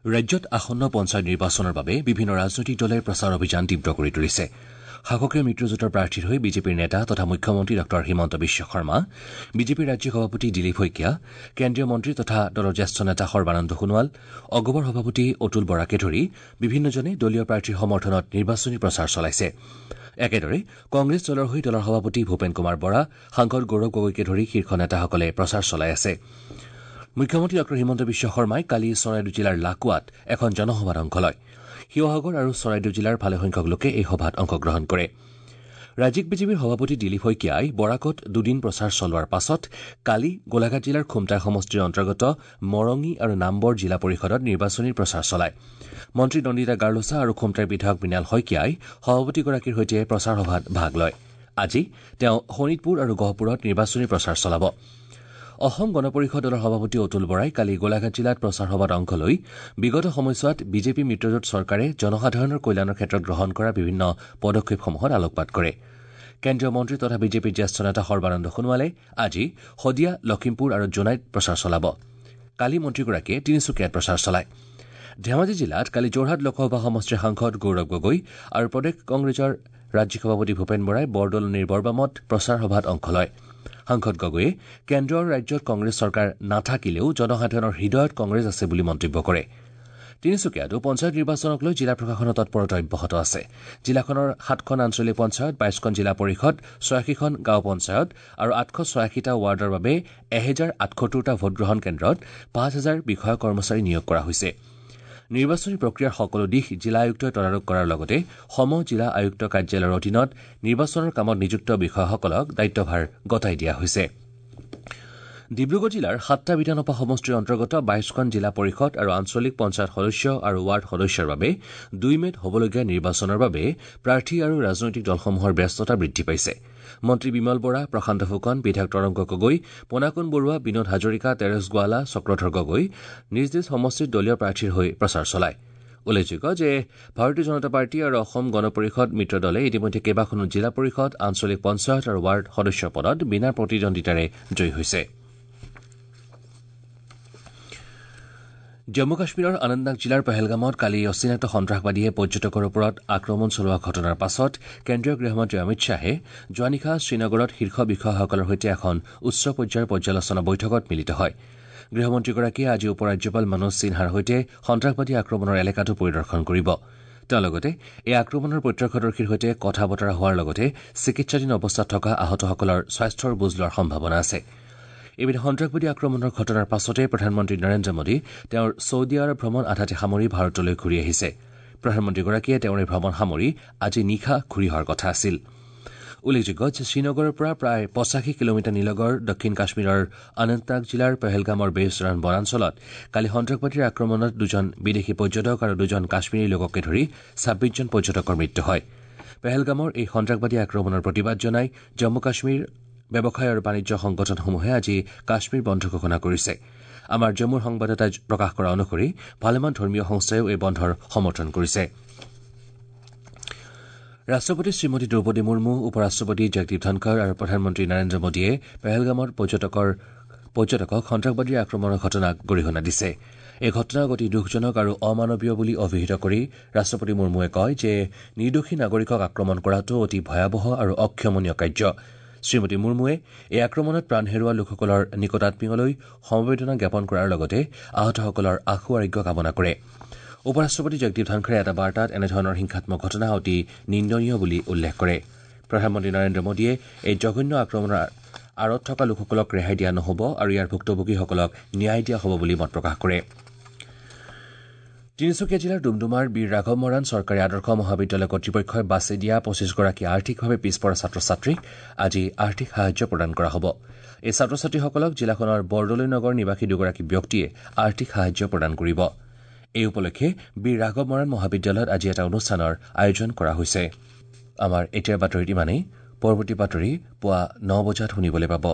ৰাজ্যত আসন্ন পঞ্চায়ত নিৰ্বাচনৰ বাবে বিভিন্ন ৰাজনৈতিক দলে প্ৰচাৰ অভিযান তীব্ৰ কৰি তুলিছে। শাসকীয় মিত্ৰজোঁটৰ প্ৰাৰ্থীৰ হৈ বিজেপিৰ নেতা তথা মুখ্যমন্ত্ৰী ডঃ হিমন্ত বিশ্ব শৰ্মা, বিজেপিৰ ৰাজ্যিক সভাপতি দিলীপ শইকীয়া, কেন্দ্ৰীয় মন্ত্ৰী তথা দলৰ জ্যেষ্ঠ নেতা সৰ্বানন্দ সোণোৱাল, অগপৰ সভাপতি অতুল বৰাকে ধৰি বিভিন্নজনে দলীয় প্ৰাৰ্থীৰ সমৰ্থনত নিৰ্বাচনী প্ৰচাৰ চলাইছে। একেদৰে কংগ্ৰেছ দলৰ হৈ দলৰ সভাপতি ভূপেন কুমাৰ বৰা, সাংসদ গৌৰৱ গগৈকে ধৰি শীৰ্ষ নেতাসকলে প্ৰচাৰ চলাই আছে। মুখ্যমন্ত্ৰী ডঃ হিমন্ত বিশ্ব শৰ্মাই কালি চৰাইদেউ জিলাৰ লাকুৱাত এখন জনসভাত অংশ লয়। শিৱসাগৰ আৰু চৰাইদেউ জিলাৰ ভালেসংখ্যক লোকে এই সভাত অংশগ্ৰহণ কৰে। ৰাজ্যিক বিজেপিৰ সভাপতি দিলীপ শইকীয়াই বৰাকত দুদিন প্ৰচাৰ চলোৱাৰ পাছত কালি গোলাঘাট জিলাৰ খুমটাই সমষ্টিৰ অন্তৰ্গত মৰঙী আৰু নামবৰ জিলা পৰিষদত নিৰ্বাচনী প্ৰচাৰ চলায়। মন্ত্ৰী নন্দিতা গাৰ্লোচা আৰু খুমটাইৰ বিধায়ক মৃণাল শইকীয়াই সভাপতিগৰাকীৰ সৈতে প্ৰচাৰ সভাত ভাগ লয়। আজি তেওঁ শোণিতপুৰ আৰু গহপুৰত নিৰ্বাচনী প্ৰচাৰ চলাব। অসম গণ পৰিষদ দলৰ সভাপতি অতুল বৰাই কালি গোলাঘাট জিলাত প্ৰচাৰ সভাত অংশ লৈ বিগত সময়ছোৱাত বিজেপি মিত্ৰজোঁট চৰকাৰে জনসাধাৰণৰ কল্যাণৰ ক্ষেত্ৰত গ্ৰহণ কৰা বিভিন্ন পদক্ষেপসমূহত আলোকপাত কৰে। কেন্দ্ৰীয় মন্ত্ৰী তথা বিজেপিৰ জ্যেষ্ঠ নেতা সৰ্বানন্দ সোণোৱালে আজি শদিয়া, লখিমপুৰ আৰু জোনাইত প্ৰচাৰ চলাব। কালি মন্ত্ৰীগৰাকীয়ে তিনিচুকীয়াত প্ৰচাৰ চলায়। ধেমাজি জিলাত কালি যোৰহাট লোকসভা সমষ্টিৰ সাংসদ গৌৰৱ গগৈ আৰু প্ৰদেশ কংগ্ৰেছৰ ৰাজ্যিক সভাপতি ভূপেন বৰাই বৰদলনিৰ বৰবামত প্ৰচাৰ সভাত অংশ লয়। সাংসদ গগৈয়ে কেন্দ্ৰ আৰু ৰাজ্যত কংগ্ৰেছ চৰকাৰ নাথাকিলেও জনসাধাৰণৰ হৃদয়ত কংগ্ৰেছ আছে বুলি মন্তব্য কৰে। তিনিচুকীয়াতো পঞ্চায়ত নিৰ্বাচনক লৈ জিলা প্ৰশাসনৰ তৎপৰতা অব্যাহত আছে। জিলাখনৰ ৭খন আঞ্চলিক পঞ্চায়ত, ২২খন জিলা পৰিষদ, ৮৬খন গাঁও পঞ্চায়ত আৰু ৮৮৬টা ৱাৰ্ডৰ বাবে ১০৭৮টা ভোটগ্ৰহণ কেন্দ্ৰত ৫০০০ বিষয়া কৰ্মচাৰী নিয়োগ কৰা হৈছে। নিৰ্বাচনী প্ৰক্ৰিয়াৰ সকলো দিশ জিলা আয়ুক্তই তদাৰক কৰাৰ লগতে সম জিলা আয়ুক্ত কাৰ্যালয়ৰ অধীনত নিৰ্বাচনৰ কামত নিযুক্ত বিষয়াসকলক দায়িত্বভাৰ গতাই দিয়া হৈছে। ডিব্ৰুগড় জিলাৰ ৭টা বিধানসভা সমষ্টিৰ অন্তৰ্গত ২২খন জিলা পৰিষদ আৰু আঞ্চলিক পঞ্চায়ত সদস্য আৰু ৱাৰ্ড সদস্যৰ বাবে ২ মে'ত হ'বলগীয়া নিৰ্বাচনৰ বাবে প্ৰাৰ্থী আৰু ৰাজনৈতিক দলসমূহৰ ব্যস্ততা বৃদ্ধি পাইছে। মন্ত্ৰী বিমল বৰা, প্ৰশান্ত ফুকন, বিধায়ক তৰংগ গগৈ, পোনাকণ বৰুৱা, বিনোদ হাজৰিকা, তেৰেছ গোৱালা, চক্ৰধৰ গগৈ নিজ নিজ সমষ্টিত দলীয় প্ৰাৰ্থীৰ হৈ প্ৰচাৰ চলায়। উল্লেখযোগ্য যে ভাৰতীয় জনতা পাৰ্টী আৰু অসম গণ পৰিষদ মিত্ৰ দলে ইতিমধ্যে কেইবাখনো জিলা পৰিষদ, আঞ্চলিক পঞ্চায়ত আৰু ৱাৰ্ড সদস্য পদত বিনা প্ৰতিদ্বন্দ্বিতাৰে জয়ী হৈছে। জম্মু কাশ্মীৰৰ অনন্তনাগ জিলাৰ পহেলগামত কালি অচিনাক্ত সন্ত্ৰাসবাদীয়ে পৰ্যটকৰ ওপৰত আক্ৰমণ চলোৱা ঘটনাৰ পাছত কেন্দ্ৰীয় গৃহমন্ত্ৰী অমিত শ্বাহে যোৱা নিশা শ্ৰীনগৰত শীৰ্ষ বিষয়াসকলৰ সৈতে এখন উচ্চ পৰ্যায়ৰ পৰ্যালোচনা বৈঠকত মিলিত হয়। গৃহমন্ত্ৰীগৰাকীয়ে আজি উপ ৰাজ্যপাল মনোজ সিনহাৰ সৈতে সন্ত্ৰাসবাদী আক্ৰমণৰ এলেকাটো পৰিদৰ্শন কৰিব। তেওঁ লগতে এই আক্ৰমণৰ প্ৰত্যক্ষদৰ্শীৰ সৈতে কথা বতৰা হোৱাৰ লগতে চিকিৎসাধীন অৱস্থাত থকা আহতসকলৰ স্বাস্থ্যৰ বুজ লোৱাৰ সম্ভাৱনা আছে। ইপিনে সন্ত্ৰাসবাদী আক্ৰমণৰ ঘটনাৰ পাছতে প্ৰধানমন্ত্ৰী নৰেন্দ্ৰ মোদী তেওঁৰ ছৌদি আৰৱ ভ্ৰমণ আধাতে সামৰি ভাৰতলৈ ঘূৰি আহিছে। প্ৰধানমন্ত্ৰীগৰাকীয়ে তেওঁৰ এই ভ্ৰমণ সামৰি আজি নিশা ঘূৰি অহাৰ কথা আছিল। উল্লেখযোগ্য যে শ্ৰীনগৰৰ পৰা প্ৰায় ৮৫ কিলোমিটাৰ নিলগৰ দক্ষিণ কাশ্মীৰৰ অনন্তনাগ জিলাৰ পহেলগামৰ বেইছৰান বনাঞ্চলত কালি সন্ত্ৰাসবাদীৰ আক্ৰমণত দুজন বিদেশী পৰ্যটক আৰু দুজন কাশ্মীৰী লোককে ধৰি ২৬জন পৰ্যটকৰ মৃত্যু হয়। পেহেলগামৰ এই সন্ত্ৰাসবাদী আক্ৰমণৰ প্ৰতিবাদ জনাই জম্মু কাশ্মীৰ ব্যৱসায় আৰু বাণিজ্য সংগঠনসমূহে আজি কাশ্মীৰ বন্ধ ঘোষণা কৰিছে। আমাৰ জম্মুৰ সংবাদদাতাই প্ৰকাশ কৰা অনুসৰি ভালেমান ধৰ্মীয় সংস্থাইও এই বন্ধৰ সমৰ্থন কৰিছে। ৰাষ্ট্ৰপতি শ্ৰীমতী দ্ৰৌপদী মুৰ্মু, উপ ৰাষ্ট্ৰপতি জগদীপ ধনখৰ আৰু প্ৰধানমন্ত্ৰী নৰেন্দ্ৰ মোদীয়ে পেহেলগামত পৰ্যটকক সন্ত্ৰাসবাদীৰ আক্ৰমণৰ ঘটনাক গৰিহণা দিছে। এই ঘটনাক অতি দুখজনক আৰু অমানৱীয় বুলি অভিহিত কৰি ৰাষ্ট্ৰপতি মুৰ্মুৱে কয় যে নিৰ্দোষী নাগৰিকক আক্ৰমণ কৰাটো অতি ভয়াৱহ আৰু অক্ষমনীয় কাৰ্য। শ্ৰীমতী মুৰ্মুৱে এই আক্ৰমণত প্ৰাণ হেৰুওৱা লোকসকলৰ নিকটাত্মীয়লৈ সমবেদনা জ্ঞাপন কৰাৰ লগতে আহতসকলৰ আশু আৰোগ্য কামনা কৰে। উপ ৰাষ্ট্ৰপতি জগদীপ ধনখৰে এটা বাৰ্তাত এনেধৰণৰ হিংসাত্মক ঘটনা অতি নিন্দনীয় বুলি উল্লেখ কৰে। প্ৰধানমন্ত্ৰী নৰেন্দ্ৰ মোদীয়ে এই জঘন্য আক্ৰমণৰ আঁৰত থকা লোকসকলক ৰেহাই দিয়া নহ'ব আৰু ইয়াৰ ভুক্তভোগীসকলক ন্যায় দিয়া হ'ব বুলি মত প্ৰকাশ কৰে। তিনিচুকীয়া জিলাৰ ডুমডুমাৰ বীৰ ৰাঘৱ মৰাণ চৰকাৰী আদৰ্শ মহাবিদ্যালয় কৰ্তৃপক্ষই বাছি দিয়া ২৫গৰাকী আৰ্থিকভাৱে পিছপৰা ছাত্ৰ ছাত্ৰীক আজি আৰ্থিক সাহায্য প্ৰদান কৰা হ'ব। এই ছাত্ৰ ছাত্ৰীসকলক জিলাখনৰ বৰদলৈ নগৰ নিবাসী দুগৰাকী ব্যক্তিয়ে আৰ্থিক সাহায্য প্ৰদান কৰিব। এই উপলক্ষে বীৰ ৰাঘৱ মৰাণ মহাবিদ্যালয়ত আজি এটা অনুষ্ঠানৰ আয়োজন কৰা হৈছে। আমাৰ এতিয়াৰ বাতৰিত ইমানেই। পৰৱৰ্তী বাতৰি পুৱা ৯ বজাত শুনিবলৈ পাব।